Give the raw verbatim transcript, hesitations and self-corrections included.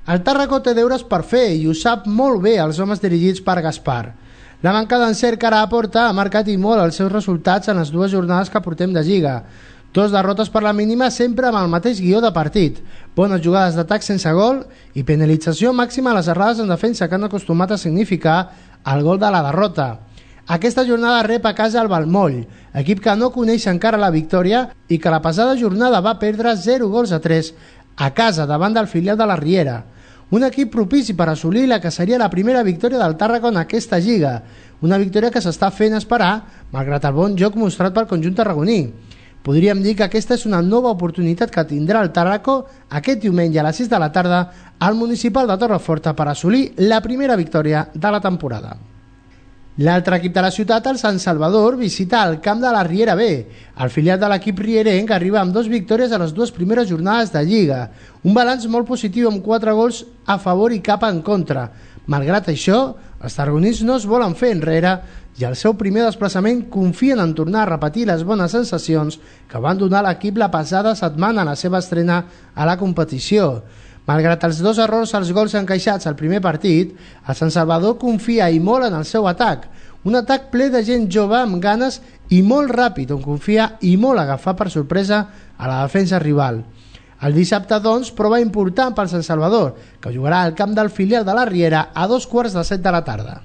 El Tàrraco té deures per fer i ho sap molt bé els homes dirigits per Gaspar. La manca d'encert que ara aporta ha marcat i molt els seus resultats en les dues jornades que portem de Lliga. Dos derrotes per la mínima sempre amb el mateix guió de partit, bones jugades d'atac sense gol i penalització màxima a les errades en defensa que han acostumat a significar el gol de la derrota. Aquesta jornada rep a casa el Balmoll, equip que no coneix encara la victòria i que la passada jornada va perdre zero gols a tres a casa davant del filial de la Riera. Un equip propici per assolir la que seria la primera victòria del Tàrraco en aquesta Lliga, una victòria que s'està fent esperar malgrat el bon joc mostrat pel conjunt tarragoní. Podríem dir que aquesta és una nova oportunitat que tindrà el Tàrraco aquest diumenge a les sis de la tarda al municipal de Torreforta per assolir la primera victòria de la temporada. L'altre equip de la ciutat, el Sant Salvador, visita el camp de la Riera B, el filial de l'equip rierenc que arriba amb dues victòries a les dues primeres jornades de Lliga, un balanç molt positiu amb quatre gols a favor i cap en contra. Malgrat això, els tarragonins no es volen fer enrere i al seu primer desplaçament confien en tornar a repetir les bones sensacions que van donar l'equip la passada setmana a la seva estrena a la competició. Malgrat els dos errors als gols encaixats al primer partit, el Sant Salvador confia i molt en el seu atac, un atac ple de gent jove amb ganes i molt ràpid, on confia i molt agafar per sorpresa a la defensa rival. El dissabte, doncs, prova important pel Sant Salvador, que jugarà al camp del filial de la Riera a dos quarts de set de la tarda.